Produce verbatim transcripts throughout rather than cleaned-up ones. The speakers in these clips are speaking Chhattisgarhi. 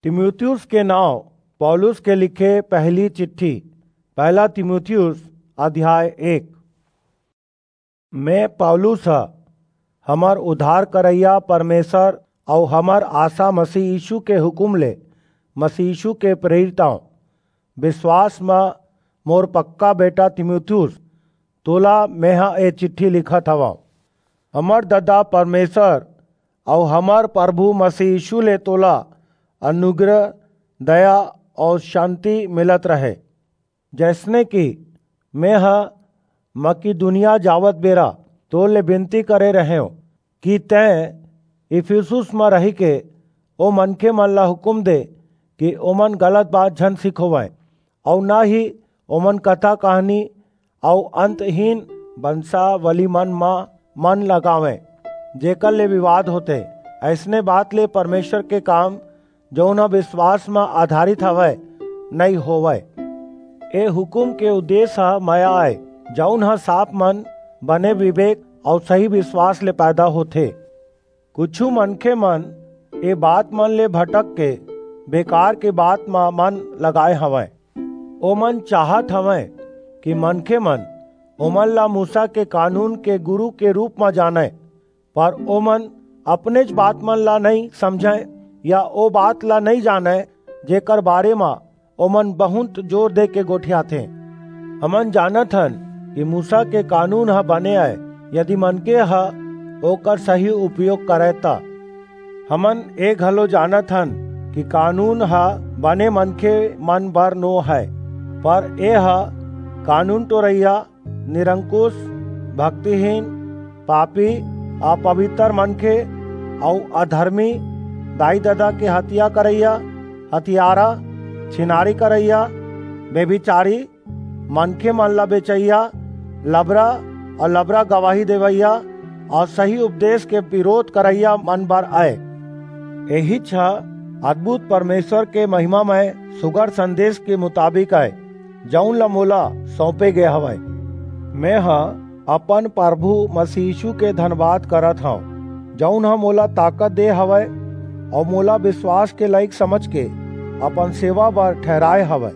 तीमुथियुस के नांव पौलुस के लिखे पहली चिट्ठी। पहला तीमुथियुस अध्याय एक। मैं पौलुस ह, हमर उद्धार करइया परमेसर अऊ हमर आसा मसीह यीसू के हुकूम ले मसीह यीसू के प्रेरित अंव। बिसवास म मोर पक्का बेटा तीमुथियुस, तोला मेंह ए चिट्ठी लिखत हवंव। हमर ददा परमेसर अऊ हमर परभू मसीह यीसू ले तोला अनुग्रह, दया अऊ सांति मिलत रहे। जइसने कि मेंह मकिदुनिया जावत बेरा तोर ले बिनती करे रहेंव कि तें इफिसुस म रहिके ओ मनखेमन ला हुकूम दे कि ओमन गलत बात झन सिखोवंय, अऊ न ही ओमन कथा-कहानी अऊ अंतहीन बंसावलीमन म मन लगावंय, जेकर ले बिवाद होथे। अइसने बात ले परमेसर के काम, जऊन ह बिसवास म अधारित हवय, नइं होवय। ए हुकूम के उद्देस ह मया अय, जऊन ह साफ मन, बने बिबेक अऊ सही बिसवास ले पैदा होथे। कुछू मनखेमन ए बातमन ले भटकके बेकार के बात म मन लगाय हवंय। ओमन चाहत हवंय कि मनखेमन ओमन ला मूसा के कानून के गुरू के रूप म जानंय, पर ओमन अपनेच बातमन ला नइं समझंय या ओ बात ला नइं जानंय, जेकर बारे म ओमन बहुंत जोर देके गोठियाथें। हमन जानत हन कि मूसा के कानून ह बने अय, यदि मनखे ह ओकर सही उपयोग करय त। हमन ए घलो जानत हन कि कानून ह बने मनखेमन बर नो हय, पर एह कानून टोरइया, निरंकुस, भक्तिहीन, पापी, अपबितर मनखे अऊ अधरमी, दाई-ददा के हतिया करइया, हतियारा, छिनारी करइया, बेभिचारी, मनखेमन ला बेचइया, लबरा अऊ लबरा गवाही देवइया अऊ सही उपदेस के बिरोध करइया मन बर अय। एहीच ह अद्भुत परमेसर के महिमामय सुघर संदेस के मुताबिक अय, जऊन ला मोला सऊंपे गे हवय। मेंह अपन परभू मसीह यीसू के धनबाद करत हंव, जऊन ह मोला ताकत दे हवय अऊ मोला बिसवास के लइक समझके अपन सेवा बर ठहिराय हवय।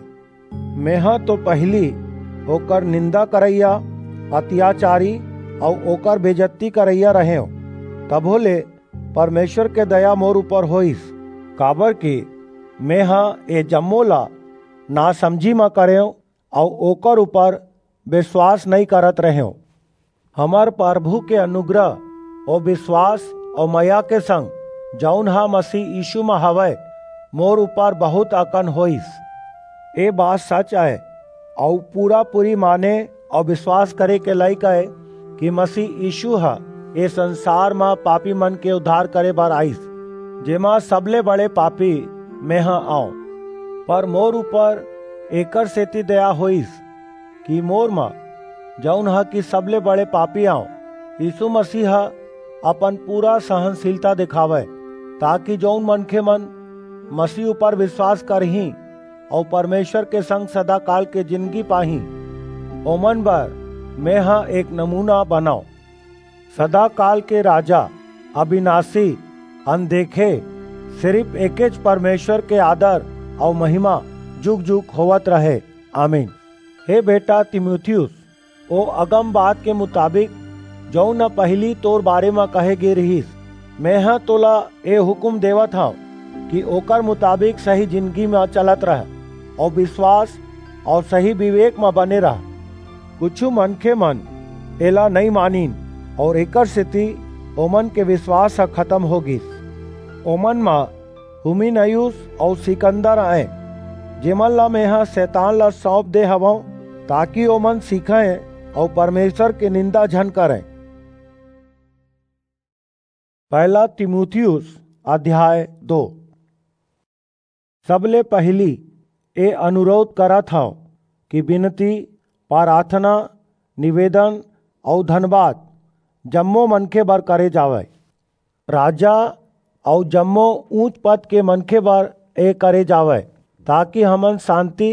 मेंह तो पहिली ओकर निंदा करइया, अतियाचारी अऊ ओकर बेजत्ती करइया रहेंव, तभो ले परमेसर के दया मोर ऊपर होईस, काबरकि मेंह ए जम्मो ला नासमझी म करेंव अऊ ओकर ऊपर बिसवास नइं करत रहेंव। हमर परभू के अनुग्रह अऊ बिसवास अऊ मया के संग, जऊन ह मसीह यीसू म हवय, मोर ऊपर बहुंत अकन होईस। ए बात सच अय अऊ पूरा-पूरी माने अऊ बिसवास करे के लइक अय कि मसीह यीसू ह ए संसार म पापीमन के उद्धार करे बर आईस, जेमा सबले बड़े पापी मेंह अंव। पर मोर ऊपर एकरसेति दया होईस कि मोर म, जऊन ह कि सबले बड़े पापी अंव, यीसू मसीह ह अपन पूरा सहनसीलता देखावय, ताकि जऊन मनखेमन मसीह ऊपर बिसवास करहीं अऊ परमेसर के संग सदाकाल के जिनगी पाहीं, ओमन बर मेंह एक नमूना बनंव। सदाकाल के राजा, अबिनासी, अनदेखे, सिरिप एकेच परमेसर के आदर अऊ महिमा जुग-जुग होवत रहे। आमीन। हे बेटा तीमुथियुस, ओ अगम बात के मुताबिक, जऊन ह पहिली तोर बारे म कहे गे रिहिस, मेंह तोला ए हुकूम देवत हंव कि ओकर मुताबिक सही जिनगी म चलत रह अऊ बिसवास अऊ सही बिबेक म बने रह। कुछू मनखेमन एला नइं मानिन अऊ एकरसेति ओमन के बिसवास ह खतम हो गीस। ओमन म हुमिनयुस अऊ सिकंदर अंय, जेमन ला मेंह सैतान ला सऊंप दे हवंव, ताकि ओमन सीखंय अऊ परमेसर के निंदा झन करंय। पहला तीमुथियुस अध्याय दो। सबले पहिली ए अनुरोध करत हंव कि बिनती, पराथना, निवेदन अऊ धनबाद जम्मो मनखे बर करे जावय। राजा अऊ जम्मो ऊंच पद के मनखे बर ए करे जावय, ताकि हमन सांति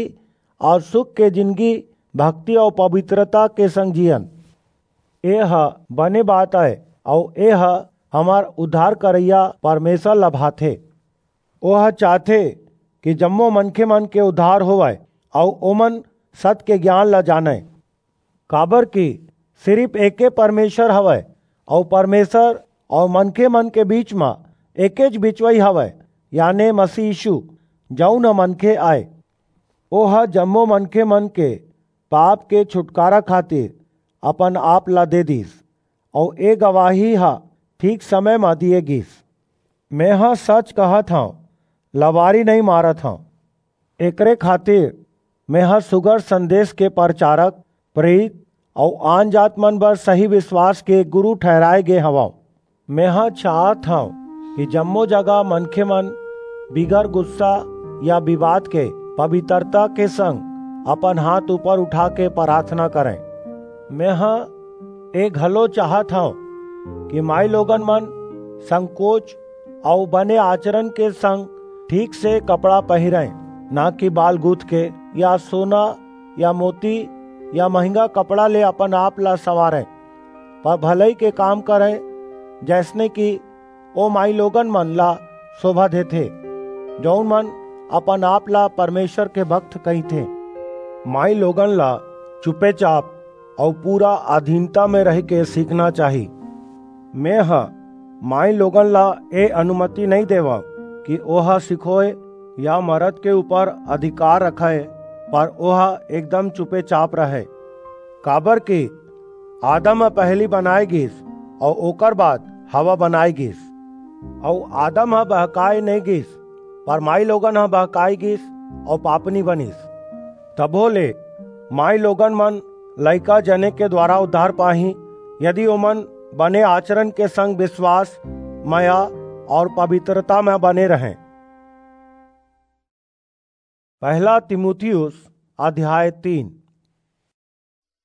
अऊ सुख के जिनगी भक्ति अऊ पबित्रता के संग जीयन। ए ह बने बात अय, अऊ ए ह हमर उद्धार करइया परमेसर ला भाथे। ओह चाहथे कि जम्मो मनखे मन के उद्धार होवय अऊ ओमन सत के ज्ञान ला जानय। काबर कि सिरिफ एके परमेश्वर हवय, अऊ परमेश्वर अऊ मनखे मन के बीच म एकेच बिचवई हवय, याने मसीह यीशु, जऊन ह मनखे आय। ओह जम्मो मनखे मन के पाप के छुटकारा खातिर अपन आप ला दे दिस, अऊ ए गवाही ह ठीक समय म दिए गिस। मेंह सच कहत हंव, लबारी नइं मारत हंव। एकरे खातिर मेंह सुघर संदेस के परचारक, प्रेरित अऊ आनजात मन बर सही बिसवास के गुरू ठहिराय गे हवंव। मेंह चाहत हंव कि जम्मो जगह मनखे मन बिगर गुस्सा या बिबाद के पबितरता के संग अपन हांथ ऊपर उठाके पराथना करंय। मेंह ए घलो चाहत हंव कि माईलोगन मन संकोच अऊ बने आचरन के संग ठीक से कपड़ा पहिरंय, ना कि बाल गूंथ के या सोना या मोती या महंगा कपड़ा ले अपन आप ला संवारंय, पर भलई के काम करंय, जइसने कि ओ माईलोगन मन ला सोभा देथे, जऊन मन अपन आप ला परमेश्वर के भक्त कहिथें। माईलोगन ला चुपेचाप अऊ पूरा अधीनता म रहिके सीखना चाही। मेंह माईलोगन ला ए अनुमति नइं देवंव कि ओह सिखोय या मरद के ऊपर अधिकार रखय, पर ओह एकदम चुपेचाप रहय। काबर कि आदम ह पहिली बनाय गिस, अऊ ओकर बाद हवा बनाय गिस। अऊ आदम ह बहकाय नइं गिस, पर माईलोगन ह बहकाय गिस अऊ पापनी बनिस। तभो ले माईलोगन मन लइका जने के दुवारा उद्धार पाहीं, यदि ओमन बने आचरन के संग बिसवास, मया अऊ पबितरता म बने रहंय। पहिला तीमुथियुस अध्याय तीन।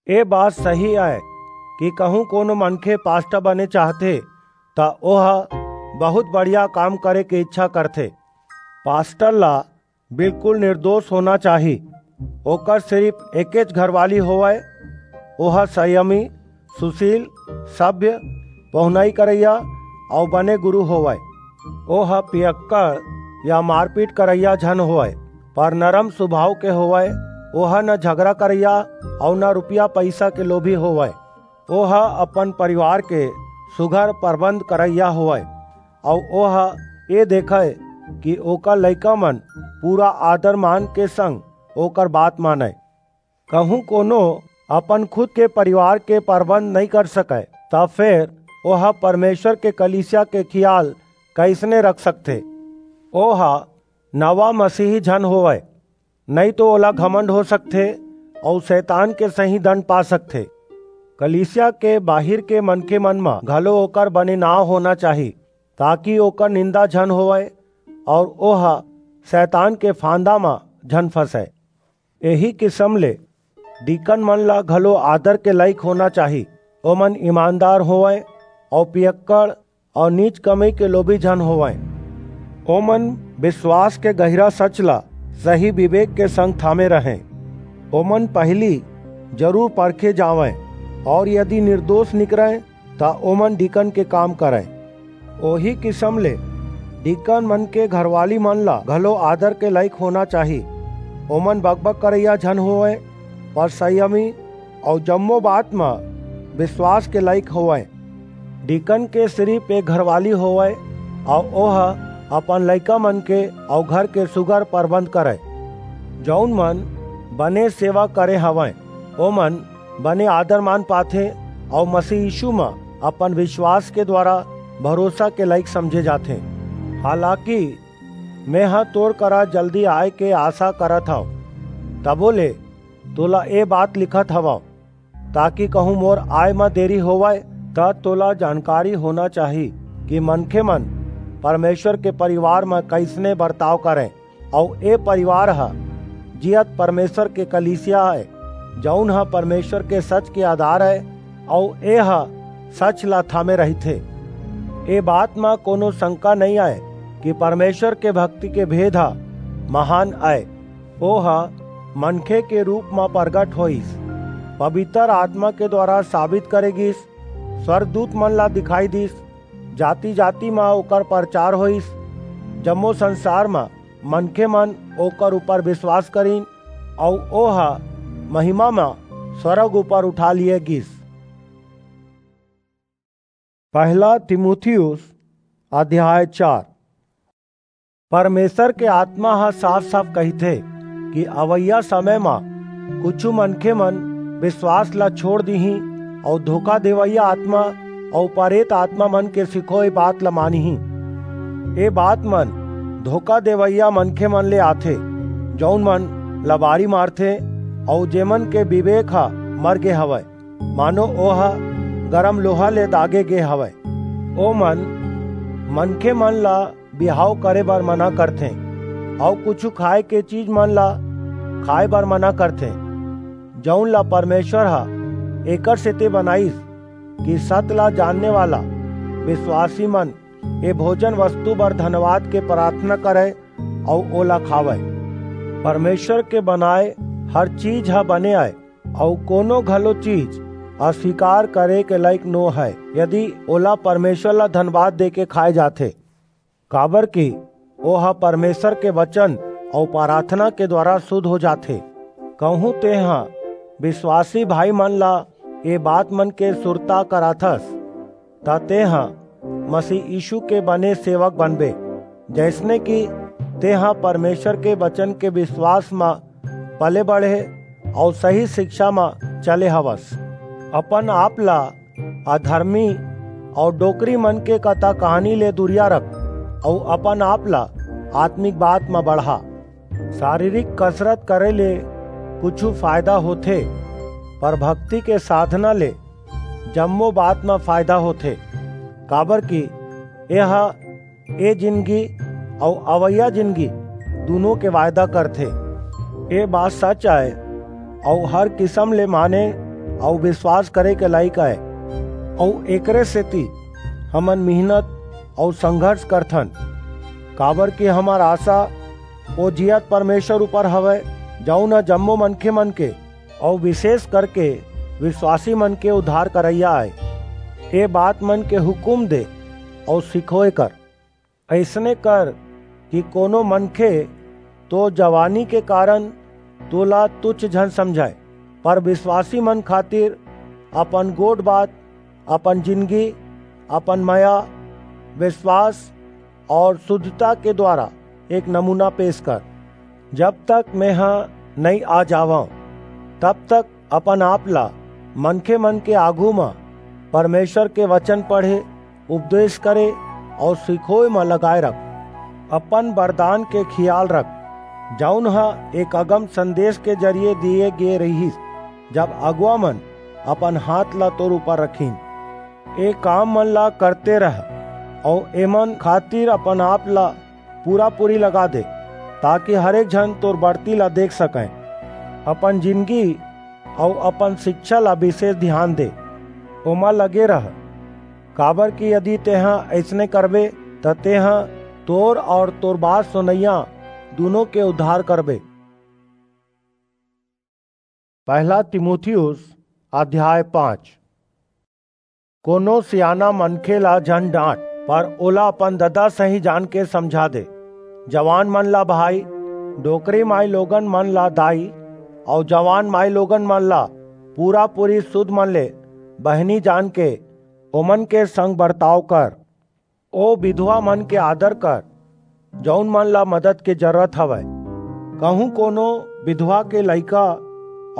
ए बात सही अय कि कहूं कोनो मनखे पास्टर बने चाहथे, त ओह बहुत बढ़िया काम करे के इच्छा करथे। पास्टर ला बिल्कुल निर्दोष होना चाही। ओकर सिरिफ एकेच घरवाली होवय, ओह संयमी, सुशील, सभ्य, पहुनई करइया अऊ बने गुरू होवय। ओह पियक्कड़ या मारपीट करइया झन होवय, पर नरम सुभाव के होवय। ओह न झगरा करइया अऊ न रुपिया पईसा के लोभी होवय। ओह अपन परिवार के सुघर परबंध करइया होवय, अऊ ओह ए देखय कि ओकर लइका मन पूरा आदर मान के संग ओकर बात मानय। कहूं कोनो अपन खुद के परिवार के परबंध नइं कर सकय, त फेर ओह परमेश्वर के कलीसिया के खियाल कइसने रख सकथे? ओह नवा मसीही झन होवय, नइं तो ओला घमंड हो सकथे अऊ सैतान के सहीं दंड पा सकथे। कलीसिया के बाहिर के मनखे मन म घलो ओकर बने नांव होना चाही, ताकि ओकर निंदा झन होवय अऊ ओह सैतान के फांदा म झन फंसय। एही किसम ले डीकन मन ला घलो आदर के लाइक होना चाही। ओमन ईमानदार होवंय अऊ पियक्कड़ अऊ नीच कमई के लोभी झन होवंय। ओमन बिसवास के गहिरा सच ला सही बिबेक के संग थामे रहंय। ओमन पहिली जरूर परखे जावंय अऊ यदि निरदोस निकरंय, त ओमन डीकन के काम करंय। ओही किसम ले डीकन मन के घरवाली मन ला घलो आदर के लाइक होना चाही। ओमन बकबक करइया झन होवंय, पर संयमी अऊ जम्मो बात म बिसवास के लाइक होवंय। डीकन के सिरिप एक घरवाली होवय, अऊ ओह अपन लइका मन के अऊ घर के सुघर परबंध करय। जऊन मन बने सेवा करे हवंय, ओमन बने आदर मान पाथें अऊ मसीह यीसू म अपन बिसवास के दुवारा भरोसा के लाइक समझे जाथें। हालाकि मेंह तोर करा जल्दी आय के आसा करत हंव, तभो ले तोला ए बात लिखत हवंव, ताकि कहूं मोर आय म देरी होवय, त तोला जानकारी होना चाही कि मनखे मन परमेसर के परिवार म कइसने बरताव करंय। अऊ ए परिवार ह जीयत परमेसर के कलीसिया अय, जऊन ह परमेसर के सच के आधार अय, अऊ ए ह सच ला थामे रहिथे। ए बात म कोनो संका नइं अय कि परमेसर के भक्ति के भेद ह महान अय। ओह मनखे के रूप म परगट होईस, पबितर आतमा के दुवारा साबित करे गीस, स्वरगदूत मन ला दिखाई दीस, जाति-जाति म ओकर परचार होईस। जम्मो संसार म मनखे मन ओकर ऊपर विश्वास करिन, अऊ ओह महिमा म स्वर्ग ऊपर उठा लिए गिस। पहला तीमुथियुस अध्याय चार। परमेश्वर के आत्मा ह साफ-साफ कहिथे कि अवइया समय म कुछु मनखे मन विश्वास ला छोड़ दिही अऊ धोखा देवइया आत्मा अऊ परेत आत्मा मन के सिखोय बात ला मानही। ए बात मन धोखा देवइया मनखे मन ले आथे, जऊन मन लबारी मारथे अऊ जेमन के विवेक ह मर गे हवय, मानो ओह गरम लोहा ले दागे गे हवय। ओमन मनखे मन ला बिहाव करे बर मना करथे, अऊ कुछु खाए के चीज मन ला खाए बर मना करथे, जऊन ला परमेश्वर ह एकर सेती बनाइस कि सत ला जानने वाला विश्वासी मन ए भोजन वस्तु बर धन्यवाद के प्रार्थना करय अऊ ओला खावय। परमेश्वर के बनाए हर चीज ह बने आय, अऊ कोनो घलो चीज अस्वीकार करे के लायक नो हय, यदि ओला परमेश्वर ला धन्यवाद देके खाए जाथे, काबर कि ओह परमेश्वर के वचन अऊ प्रार्थना के द्वारा शुद्ध हो जाथे। कहूं तेंह विश्वासी भाई मन ला ए बात मन के सुरता कराथस, त तेंह मसीह यीशु के बने सेवक बनबे, जइसने कि तेंह परमेश्वर के वचन के विश्वास म पले बढ़े अऊ सही शिक्षा म चले हवस। अपन आप ला अधर्मी अऊ डोकरी मन के कथा कहानी ले दुरिया रख, अऊ अपन आप ला आत्मिक बात म बढ़ा। शारीरिक कसरत करे ले कुछु फायदा होथे, पर भक्ति के साधना ले जम्मो बात म फायदा होथे, काबर कि एह ए जिनगी अऊ अवइया जिनगी दूनों के वायदा करथे। ए बात सच आय अऊ हर किसम ले माने अऊ विश्वास करे के लायक आय, अऊ एकरे सेती हमन मेहनत अऊ संघर्ष करथन, काबर कि हमर आशा ओ जियत परमेश्वर ऊपर हवय, जऊन ह जम्मो मनखे मन के अऊ विशेष करके विश्वासी मन के उद्धार करइया आय। ए बात मन के हुकूम दे अऊ सिखोय कर। अइसने कर कि कोनो मनखे तो जवानी के कारण तोला तुच्छ झन समझय, पर विश्वासी मन खातिर अपन गोठ बात, अपन जिनगी, अपन मया, विश्वास अऊ शुद्धता के द्वारा एक नमूना पेश कर। जब तक मेंह नइं आ जावंव, तब तक अपन आप ला मनखे मन के आघू म परमेश्वर के वचन पढ़े, उपदेश करे अऊ सिखोय म लगाए रख। अपन वरदान के खियाल रख, जऊन ह एक अगम संदेश के जरिए दिए गे रिहिस, जब अगुवा मन अपन हाथ ला तोर ऊपर रखिन। ए काम मन ला करते रह, अऊ एमन खातिर अपन आप ला पूरा-पूरी लगा दे, ताकि हर एक झन तोर बढ़ती ला देख सकय। अपन जिनगी अऊ अपन शिक्षा ला विशेष ध्यान दे, ओमा लगे रह, काबर कि यदि तेंह अइसने करबे, त तेंह तोर अऊ तोर बात सुनइया दूनों के उद्धार करबे। पहला तीमुथियुस अध्याय पाँच। कोनो सियाना मनखे ला झन डांट, पर ओला अपन ददा सही जान के समझा दे। जवान मन ला भाई, डोकरी माई लोगन मन ला दाई, अऊ जवान माई लोगन मन ला पूरा-पूरी सुध मन ले बहिनी जान के ओमन के संग बर्ताव कर। ओ विधवा मन के आदर कर, जऊन मन ला मदद के जरूरत हवय। कहूं कोनो विधवा के लइका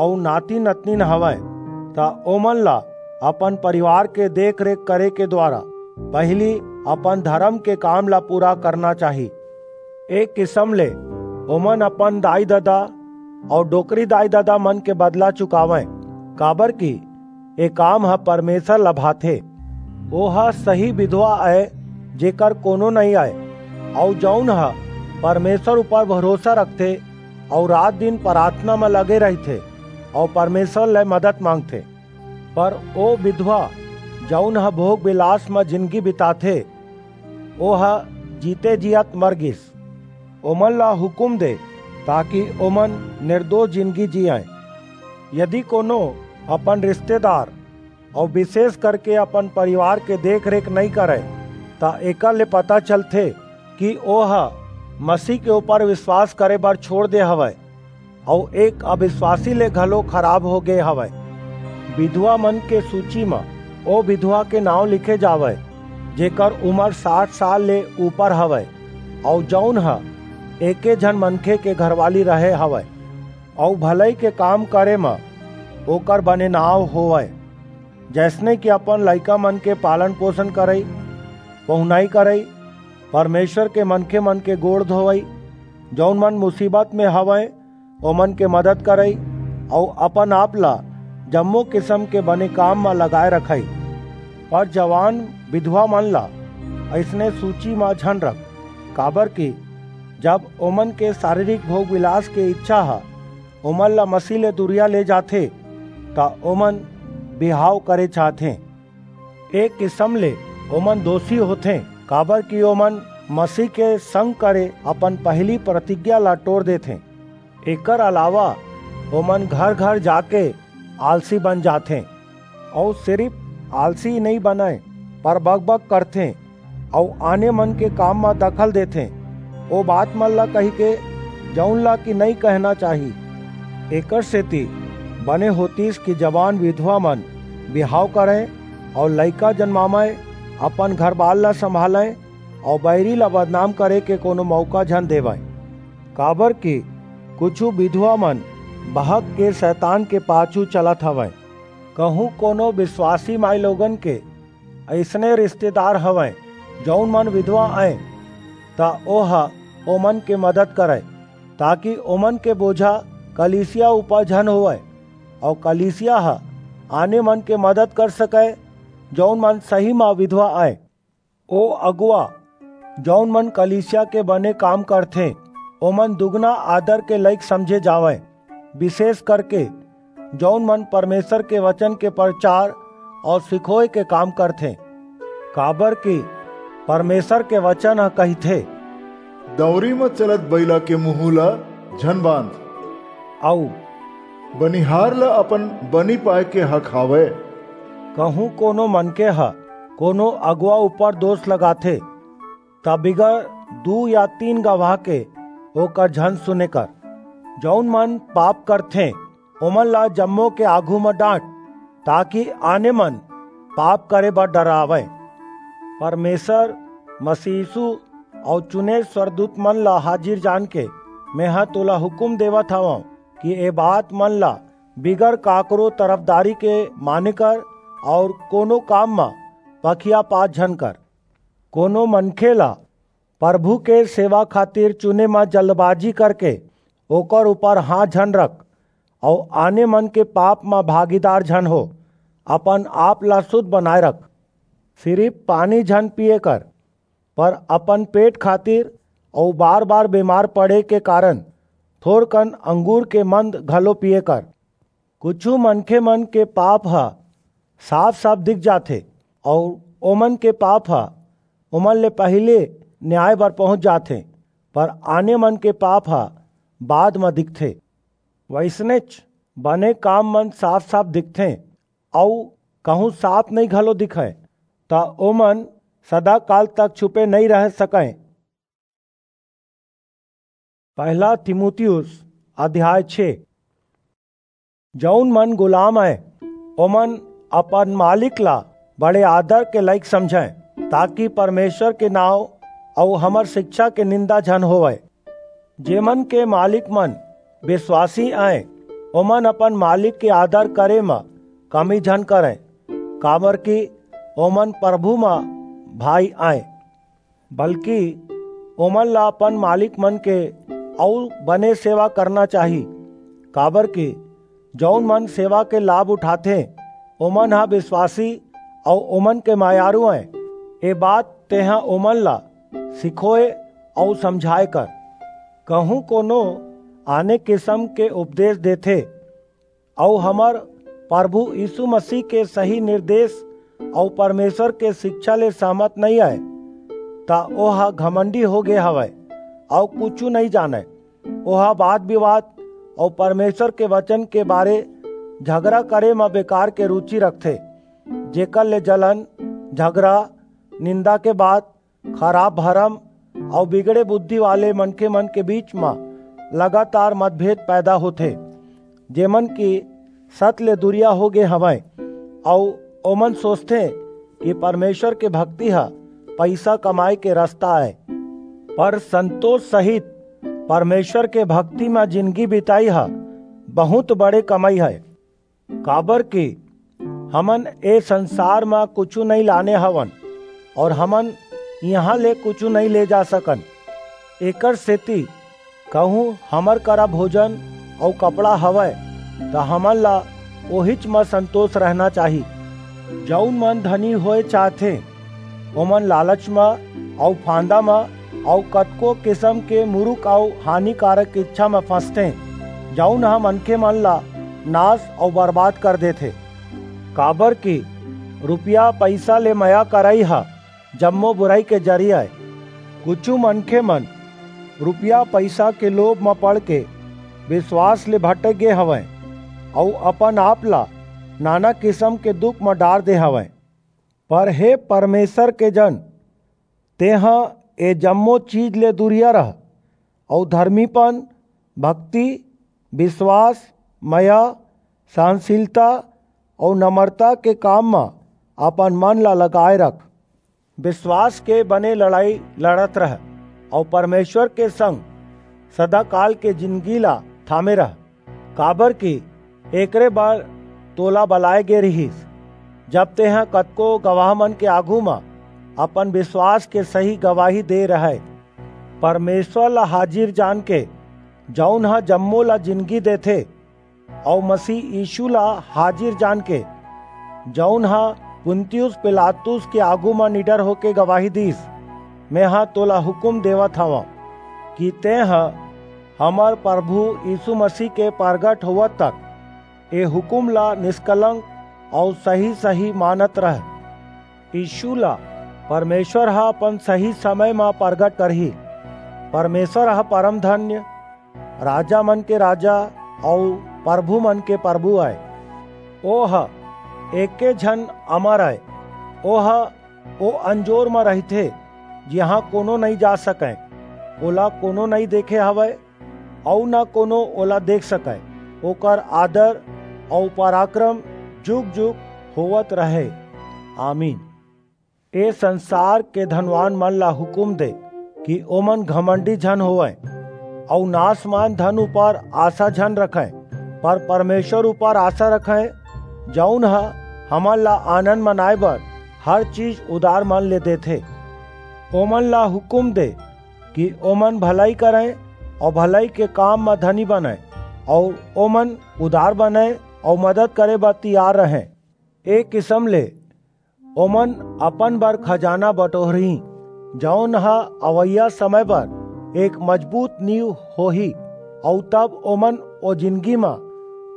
अऊ नाती-नतनीन हवय, त ओमन ला अपन परिवार के देख-रेख करे के द्वारा पहिली अपन धरम के काम ला पूरा करना चाही। एक किसम ले ओमन अपन दाई-ददा अऊ डोकरी दाई-ददा मन के बदला चुकावंय, काबर कि ए काम ह परमेश्वर ला भाथे। ओह सही विधवा अय, जेकर कोनो नइं अय, अऊ जऊन ह परमेश्वर ऊपर भरोसा रखथे अऊ रात-दिन प्रार्थना म लगे रहिथे अऊ परमेश्वर ले मदद मांगथे। पर ओ विधवा, जऊन ह भोग-विलास म जिनगी बिताथे, ओह जीते जियत मर गिस। ओमन ला हुकूम दे, ताकि ओमन निर्दोष जिनगी जीयंय। यदि कोनो अपन रिश्तेदार अऊ विशेष करके अपन परिवार के देख-रेख नइं करय, त एकर ले पता चलथे कि ओह मसीह के ऊपर विश्वास करे बर छोड़ दे हवय, अऊ एक अविश्वासी ले घलो खराब हो गे हवय। विधवा मन के सूची म ओ विधवा के नांव लिखे जावय, जेकर उमर साठ साल ले ऊपर हवय, अऊ जऊन ह एके झन मनखे के घरवाली रहे हवय, अऊ भलई के काम करे म ओकर बने नांव होवय, जइसने कि अपन लइका मन के पालन पोषण करई, पहुनई करई, परमेश्वर के मनखे मन के गोड़ धोवई, जऊन मन मुसीबत में हवंय, ओमन के मदद करई, अऊ अपन आप ला जम्मो किसम के बने काम म लगाए रखई। पर जवान विधवा मन ला अइसने सूची म झन रख, काबर कि जब ओमन के शारीरिक भोग विलास के इच्छा ह ओमन ला मसीह ले दुरिया ले जाथे, त ओमन बिहाव करे चाहथें। एक किसम ले ओमन दोषी होथें, काबर कि ओमन मसीह के संग करे अपन पहिली प्रतिज्ञा ला टोर देथें। एकर अलावा ओमन घर-घर जाके आलसी बन जाथें, अऊ सिरिफ आलसी नइं बनय, पर बकबक करथें, अऊ आने मन के काम म दखल देथें, ओ बात मन ला कहिके, जऊन ला कि नइं कहना चाही। एकर सेती बने होतिस कि जवान विधवा मन बिहाव करंय अऊ लइका जनमावंय, अपन घरबार ला संभालंय अऊ बईरी ला बदनाम करे के कोनो मऊका झन देवंय, काबर कि कुछू विधवा मन बहक के सैतान के पाछू चलत हवंय। कहूं कोनो बिसवासी माईलोगन के अइसने रिस्तेदार हवंय, जऊन मन विधवा अंय, त ओह ओमन के मदद करय, ताकि ओमन के बोझा कलीसिया ऊपर झन होवय, अऊ कलीसिया ह आने मन के मदद कर सकय, जऊन मन सही म विधवा अंय। ओ अगुवा, जऊन मन कलीसिया के बने काम करथें, ओमन दुगना आदर के लइक समझे जावंय, बिसेस करके जऊन मन परमेसर के बचन के परचार अऊ सिखोय के काम करथें। काबरकि परमेसर के बचन ह कहिथे, दंवरी म चलत बईला के मुहूं ल झन बांध। अऊ बनिहार ल अपन बनी पाय के हक हावय। कहूं कोनो मनखे ह कोनो अगुवा ऊपर दोस लगाथे, त बिगर दू या तीन गवाह के ओकर झन सुने कर। जऊन मन पाप करथें, ओमन ला जम्मो के आघू म डांट, ताकि आने मन पाप करे बर डरावंय। परमेसर, मसीह यीसू अऊ चुने स्वरदूत मन ला हाजिर जानके, मेंह तोला हुकूम देवत हवंव कि ए बात मन ला बिगर काकरो तरफदारी के माने कर अऊ कोनो काम म पखियापात झन कर। कोनो मनखे ला परभू के सेवा खातिर चुने म जल्दबाजी करके ओकर ऊपर हांथ झन रख, अऊ आने मन के पाप म भागीदार झन हो। अपन आप ला सुध बनाय रख। सिरिप पानी झन पीये कर, पर अपन पेट खातिर अऊ बार-बार बेमार पड़े के कारन थोरकन अंगूर के मंद घलो पीये कर। कुछू मनखे मन के पाप ह साफ-साफ दिख जाथे, अऊ ओमन के पाप ह ओमन ले पहिली न्याय बर पहुंच जाथे, पर आने मन के पाप ह बाद म दिखथे। वइसनेच बने काम मन साफ-साफ दिखथें, अऊ कहूं साफ नइं घलो दिखंय, त ओमन सदाकाल तक छुपे नइं रह सकंय। पहला तीमुथियुस अध्याय छे। जऊन मन गुलाम अंय, ओमन अपन मालिक ला बड़े आदर के लइक समझंय, ताकि परमेसर के नांव अऊ हमर सिकछा के निंदा झन होवय। जेमन के मालिक मन बिसवासी अंय, ओमन अपन मालिक के आदर करे म कमी झन करंय, काबरकि ओमन परभू म भाई अंय। बल्कि ओमन ला अपन मालिक मन के अऊ बने सेवा करना चाही, काबरकि जऊन मन सेवा के लाभ उठाथें, ओमन ह बिसवासी अऊ ओमन के मयारू अंय। ए बात तेंह ओमन ला सिखोय अऊ समझाय कर। कहूं कोनो आने किसम के उपदेस देथे, अऊ हमर परभू यीसू मसीह के सही निरदेस अऊ परमेसर के सिकछा ले सहमत नइं अंय, त ओह घमंडी हो गे हवय अऊ कुछू नइं जानय। ओह बात-बिवाद अऊ परमेसर के बचन के बारे झगरा करे म बेकार के रूचि रखथे, जेकर ले जलन, झगरा, निंदा के बात, खराप भरम अउ बिगड़े बुद्धि वाले मनखे मन के बीच म लगातार मतभेद पैदा होथे, जेमन की सत ले दुरिया हो गे हवंय, अउ ओमन सोचथें कि परमेश्वर के भक्ति ह पइसा कमाए के रस्ता आय। पर संतोष सहित परमेश्वर के भक्ति म जिनगी बिताई ह बहुत बड़े कमई हय, काबर कि हमन ए संसार म कुछू नइ लाने हवन, अउ हमन इहां ले कुछू नइ ले जा सकन। एकर सेती कहूं हमर करा भोजन अउ कपड़ा हवय, त हमन ला ओहिच म संतोष रहना चाही। जऊन मन धनी होए चाहथें, ओमन लालच म अउ फांदा म अउ कतको किसम के मुरुख अउ हानिकारक इच्छा म फंसथें, जऊन ह मनखे मन ला नाश अउ बर्बाद कर देथे। काबर कि रुपया पइसा ले मया करई ह जम्मो बुरई के जरिया अय। कुछू मनखे मन रुपया पइसा के लोभ म पड़ के बिश्वास ले भटक गे हवंय अउ अपन आप ला नाना किसम के दुख म डार दे हवंय। पर हे परमेश्वर के जन, तेंह ए जम्मो चीज ले दुरिया रह, अउ धरमीपन, भक्ति, बिश्वास, मया, सहनसीलता अउ नम्रता के काम म अपन मन ला लगाए रख। बिश्वास के बने लड़ई लड़त रह, अउ परमेश्वर के संग सदाकाल के जिनगी ला थामे रह, काबर कि एकरे बर तोला बलाए गे रिहिस। जब तेंह कतको गवाह मन के आघू म अपन बिश्वास के सही गवाही दे रहय, परमेश्वर ला हाजिर जान के, जऊन ह जम्मो ला जिनगी देथे, अऊ मसीह यीशु ला हाजिर जान के, जऊन ह पुन्तियुस पिलातुस के आघू म निडर होके गवाही दीस, मेंह तोला हुकूम देवत हवंव कि तेंह हमर परभू यीशु मसीह के परगट होवत तक ए हुकूम ला निष्कलंक अऊ सही-सही मानत रह। यीशु ला परमेश्वर ह अपन सही समय म परगट करही। परमेश्वर ह परम धन्य, राजा मन के राजा अऊ परभू मन के परभू अय। ओह एके झन अमर अय। ओह ओ अंजोर म रहिथे, जिहां कोनो नइं जा सकय, ओला कोनो नइं देखे हवय, अऊ न कोनो ओला देख सकय। ओकर आदर अऊ पराक्रम जुग-जुग होवत रहय। आमीन। ए संसार के धनवान मन ला हुकूम दे कि ओमन घमंडी झन होवंय, अऊ नासमान धन ऊपर आसा झन रखंय, पर परमेश्वर ऊपर आसा रखंय, जऊन ह हमन ला आनंद मनाय बर हर चीज उदार मन ले देथे। ओमन ला हुकूम दे कि ओमन भलई करंय अऊ भलई के काम म धनी बनंय, अऊ ओमन उदार बनंय अऊ मदद करे बर तियार रहंय। ए किसम ले ओमन अपन बर खजाना बटोरहीं, जऊन ह अवइया समय बर एक मजबूत नींव होही, अऊ तब ओमन ओ जिनगी म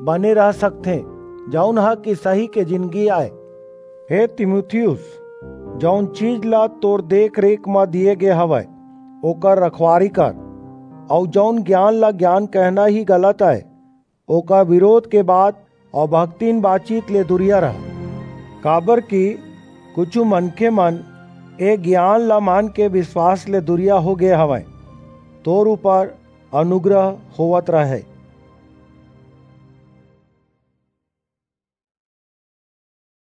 बने रह सकथें, जऊन ह कि सही के जिनगी अय। हे तीमुथियुस, जऊन चीज ला तोर देख-रेख म दिये गे हवय, ओकर रखवारी कर, अऊ जऊन ज्ञान ला ज्ञान कहना ही गलत अय, ओकर बिरोध के बात अऊ भक्तिन बातचीत ले दुरिया रह, काबरकि कुछू मनखे मन ए ज्ञान ला मान के बिश्वास ले दुरिया हो गे हवंय। तोर ऊपर अनुग्रह होवत रहय।